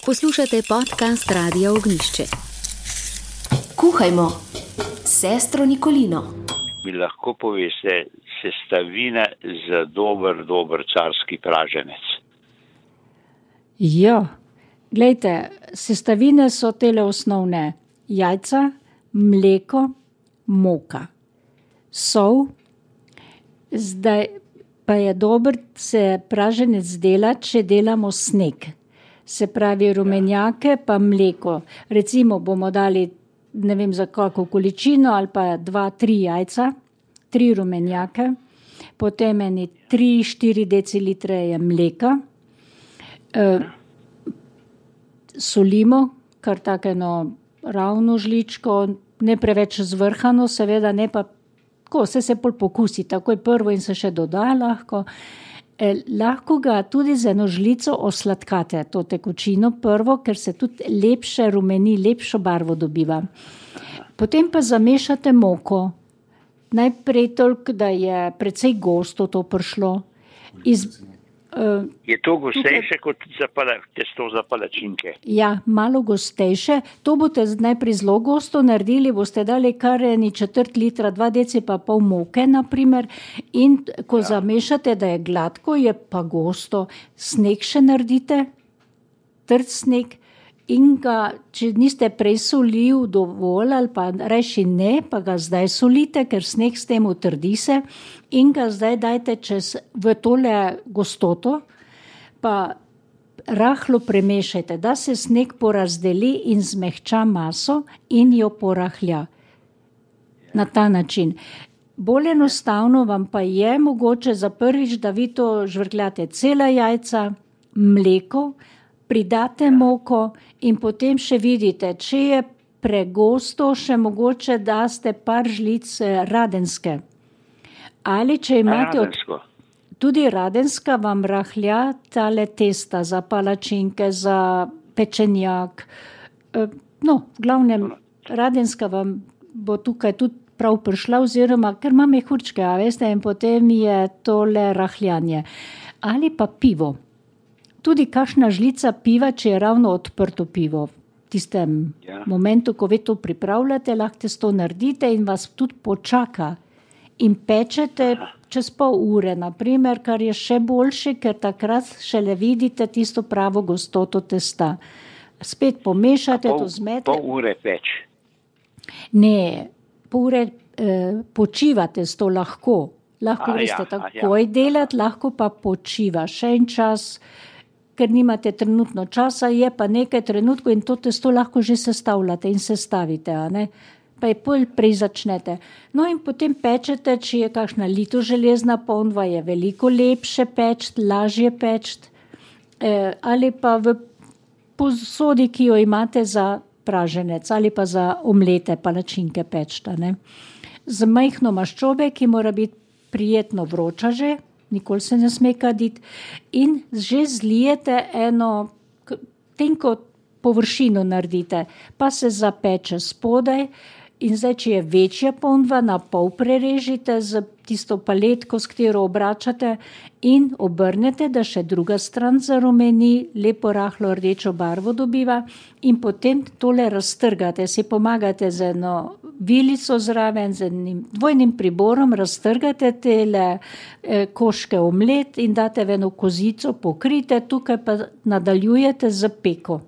Poslušate podcast Radia Ognjišče. Kuhajmo s sestro Nikolino. Mi lahko poveste sestavine za dober carski praženec? Ja, glejte, sestavine so tele osnovne. Jajca, mleko, moka, sol. Zdaj pa je dober se praženec delati, če delamo sneg. Se pravi rumenjake pa mleko. Recimo bomo dali, ne vem za kako količino, ali pa 2-3 jajca, 3 rumenjake, potem 3-4 decilitre je mleka, solimo, kar takeno ravno žličko, ne preveč zvrhano, seveda ne pa, ko se pol pokusi, takoj prvo in se še doda lahko. Lahko ga tudi z eno žlico osladkate, to tekočino prvo, ker se tudi lepše rumeni, lepšo barvo dobiva. Potem pa zamešate moko. Najprej toliko, da je precej gosto to prišlo. Je to gostejše kot testo za palačinke? Ja, malo gostejše. To boste najprej zelo gosto naredili, boste dali kar 1/4 litra, 2 deci pa pol moke, naprimer, in ko zamešate, da je gladko, je pa gosto. Sneg še naredite, trd sneg, in ga, če niste prej solil dovolj, ali pa reši ne, pa ga zdaj solite, ker sneg s tem utrdi se, in ga zdaj dajte v tole gostoto, pa rahlo premešajte, da se sneg porazdeli in zmehča maso in jo porahlja. Na ta način. Bolj enostavno vam pa je mogoče za prvič, da vi to žvrkljate cela jajca, mleko, pridate moko in potem še vidite, če je pregosto, še mogoče daste par žlic radenske. Ali če imate tudi radenska, vam rahlja tale testa za palačinke, za pečenjak. No, v glavnem, radenska vam bo tukaj tudi prav prišla, oziroma ker ima mehurčke, a veste, in potem je tole rahljanje. Ali pa pivo. Tudi kakšna žlica piva, če je ravno odprto pivo. V tistem momentu, ko vi to pripravljate, lahko to naredite in vas tudi počaka. In pečete čez pol ure, naprimer, kar je še boljše, ker takrat šele vidite tisto pravo gostoto testa. Spet pomešate, to zmete. Pol ure peč? Ne, pol ure počivate s to lahko. Lahko greste takoj delati, lahko pa počiva še en čas, ker nimate trenutno časa, je pa nekaj trenutkov in to testo lahko že sestavljate in sestavite, a ne? Pa je prej začnete. No in potem pečete, če je kakšna litoželezna ponva, je veliko lepše pečt, lažje pečt, ali pa v posodi, ki jo imate za praženec, ali pa za omlete palačinke pečta, ne? Z majhno maščobe, ki mora biti prijetno vroča že, nikoli se ne sme kaditi, in že zlijete eno tenko površino naredite, pa se zapeče spodaj. In zdaj, če je večja ponva, na pol prerežite z tisto paletko, s katero obračate, in obrnete, da še druga stran zarumeni, lepo rahlo rdečo barvo dobiva, in potem tole raztrgate, si pomagate z eno vilico zraven, z enim dvojnim priborom, raztrgate tele koške omlet in date v eno kozico, pokrite, tukaj pa nadaljujete z peko.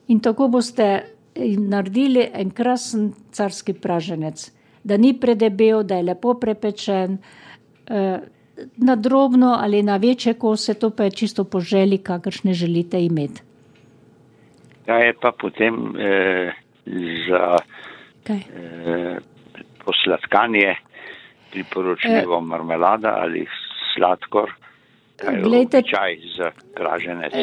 In tako boste naredili en krasen carski praženec, da ni predebel, da je lepo prepečen, na drobno ali na večje kose, to pa je čisto po želji, kakršne želite imeti. Kaj je pa potem za posladkanje priporočljivo marmelada ali sladkor, kaj je običaj za praženec?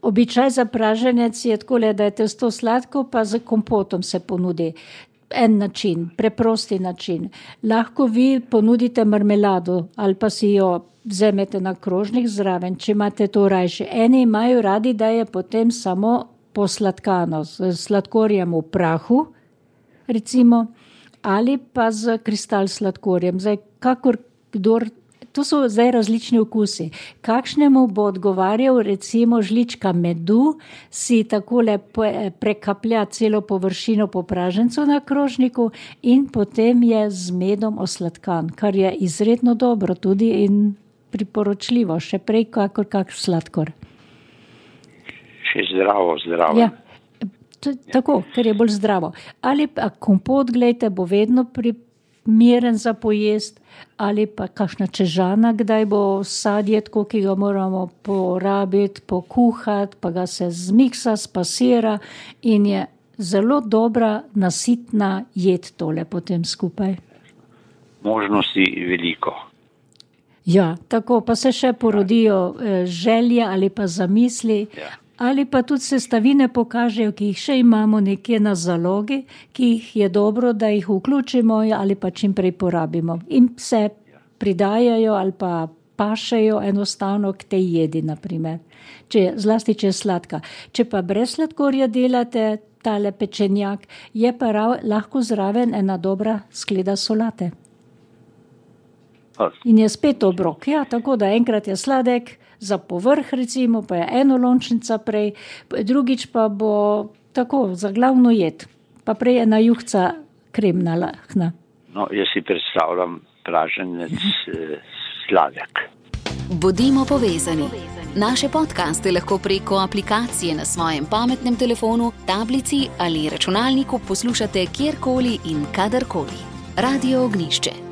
Običaj za praženec je takole, da je testo sladko, pa z kompotom se ponudi. En način, preprosti način. Lahko vi ponudite marmelado ali pa si jo vzemete na krožnik zraven, če imate to rajši. Eni imajo radi, da je potem samo posladkano z sladkorjem v prahu, recimo, ali pa z kristal sladkorjem. Zdaj, kakor kdor to so zdaj različni okusi. Kakšnemu bo odgovarjal recimo žlička medu, si takole prekaplja celo površino po pražencu na krožniku in potem je z medom osladkan, kar je izredno dobro tudi in priporočljivo, še prej kakor kak sladkor. Še zdravo. Ja. Tako, ker je bolj zdravo. Ali pa kompot, gledajte, bo vedno primeren za pojest, ali pa kakšna čežana, kdaj bo sadje, tako, ki ga moramo porabiti, pokuhati, pa ga se zmiksa, spasira in je zelo dobra, nasitna jed tole potem skupaj. Možnosti veliko. Ja, tako, pa se še porodijo želje ali pa zamisli, ali pa tudi sestavine pokažejo, ki jih še imamo nekje na zalogi, ki jih je dobro, da jih vključimo ali pa čim prej porabimo. In se pridajajo ali pa pašejo enostavno k tej jedi, naprimer. Zlasti, če je sladka. Če pa brez sladkorja delate tale pečenjak, je pa lahko zraven ena dobra skleda solate. In je spet obrok. Ja, tako da enkrat je sladek, za povrh recimo, pa je eno lončnica prej, drugič pa bo tako, za glavno jed, pa prej ena juhca kremna lahna. No, jaz si predstavljam praženec sladek. Bodimo povezani. Naše podcaste lahko preko aplikacije na svojem pametnem telefonu, tablici ali računalniku poslušate kjerkoli in kadarkoli. Radio Ognjišče.